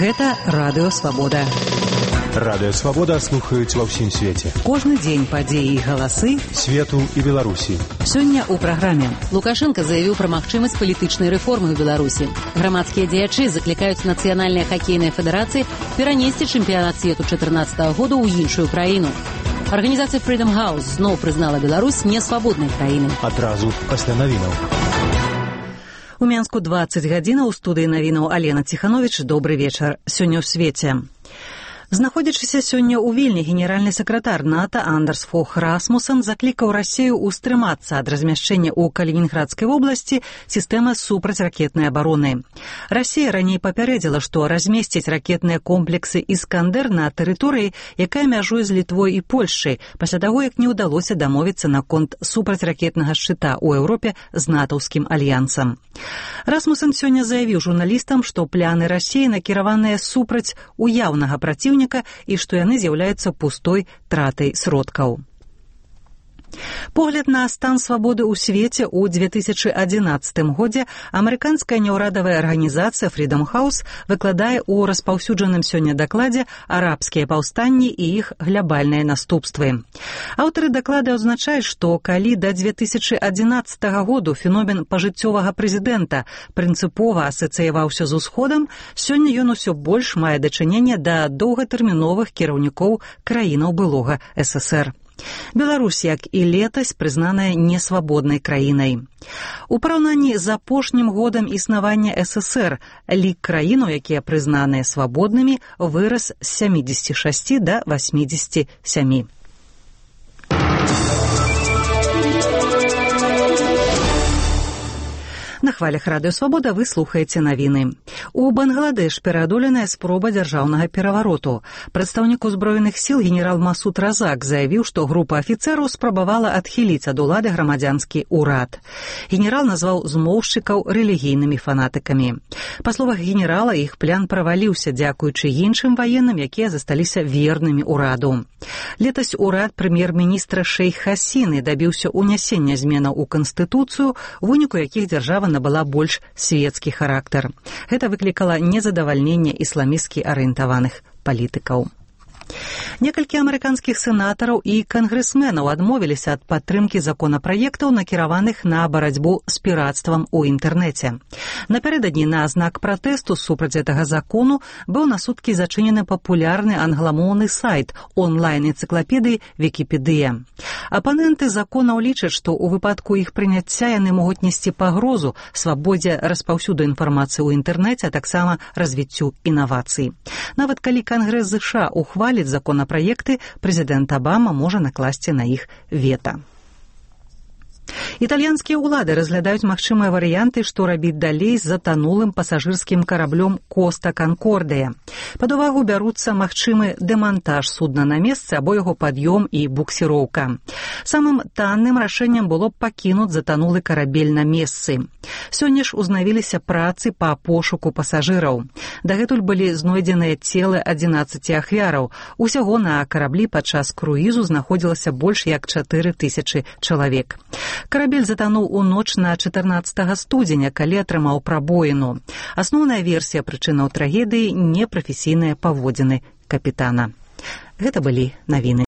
Гэта Радыё Свабода. Радыё Свабода слухаюць ва ўсім свеце. Кожны дзень падзеі і галасы свету і Беларусі. Сёння ў праграме. Лукашенко заявіў пра магчымасць палітычнай рэформы ў Беларусі. Грамадскія дзеячы заклікаюць нацыянальныя хакейныя федэрацыі перанесці чэмпіянат свету 2014 года ў іншую краіну. Арганізацыя Freedom House зноў прызнала Беларусь несвабоднай краінай. Адразу пасля навінаў. У Менску 20 гадзінаў, у студыі навінаў Алена Ціхановіч. Добры вечар. Сёння ў свеце. Знаходзячыся сёння ў Вільні, генеральны сакратар НАТО Андерс Фог Расмуссен заклікаў Расію ўстрымацца ад размяшчэння ў Калінінградскай вобласці сістэмы супрацьракетнай абароны. Расія раней папярэдзіла, што размесціць ракетныя комплексы «Іскандер» на тэрыторыі, якая мяжуе з Літвой і Польшчай, пасля таго, як не ўдалося дамовіцца наконт супрацьракетнага шчыта ў Еўропе з натаўскім альянсам. Расмуссен сёння заявіў журналістам, што пляны Расіі накіраваныя супраць уяўнага праціўніка і што яны з'яўляюцца пустой тратай сродкаў. Погляд на стан свабоды ў свеце ў 2011 годзе амерыканская няўрадавая арганізацыя Freedom House выкладае ў распаўсюджаным сёння дакладзе арабскія паўстанні і іх глябальныя наступствы. Аўтары даклада адзначаюць, што калі да 2011 году феномен пажыццёвага прэзідэнта прынцыпова асацыяваўся з усходам, сёння ён усё больш мае дачыненне да доўгатэрміновых кіраўнікоў краінаў былога ССР. Беларусь, як і летась, прызнаная несвабоднай краінай. У параўнанні з апошнім годам існавання ССР лік краінаў, якія прызнаныя свабоднымі, вырас з 76 да 87. На хвалях Радыё Свабода вы слухаеце навіны. У Бангладеш пераадоленая спроба дзяржаўнага перавароту. Прадстаўнік узброеных сіл генерал Масуд Разак заявіў, што група афіцэраў спрабавала адхіліць ад улады грамадзянскі ўрад. Генерал назваў змоўшчыкаў рэлігійнымі фанатыкамі. Па словах генерала, іх план праваліўся дзякуючы іншым ваенным, якія засталіся вернымі ўраду. Летась урад прэм'ер-міністра Шейх Хасіны дабіўся унясення зменаў у Канстытуцыю, у выніку якіх дзяржава набыла больш свецкі характар. Гэта выклікала незадавальненне ісламісцкі арыентаваных палітыкаў. Некалькі амерыканскіх сенатараў і кангрэсменаў адмовіліся ад падтрымкі законапраектаў, накіраваных на барацьбу з пірацтвам у інтэрнэце. Напярэдадні на знак пратэсту супраць гэтага закону быў на суткі зачынены папулярны англамоўны сайт онлайн-энцыклапедыі Вікіпедыя. Апаненты законаў лічаць, што ў выпадку іх прыняцця яны могуць несці пагрозу свабодзе распаўсюду інфармацыі ў інтэрнэце, а таксама развіццю інавацый. Нават калі Кангрэс ЗША ухваліць законапраекты, прэзідэнт Абама можа накласці на іх вета. Італьянскія ўлады разглядаюць магчымыя варыянты, што рабіць далей з затанулым пасажырскім караблём Коста Канкордыя. Пад увагу бяруцца магчымы дэмантаж судна на месцы або яго пад'ём і буксіроўка. Самым танным рашэннем было б пакінуць затанулы карабель на месцы. Сёння ж узнавіліся працы па пошуку пасажыраў. Дагэтуль былі знойдзеныя целы 11 ахвяраў. Усяго на караблі падчас круізу знаходзілася больш як 4000 чалавек. Карабель затануў у ноч на 14 студзеня, калі атрымаў прабоіну. Асноўная версія прычынаў трагедыі – непрафесійныя паводзіны капітана. Гэта былі навіны.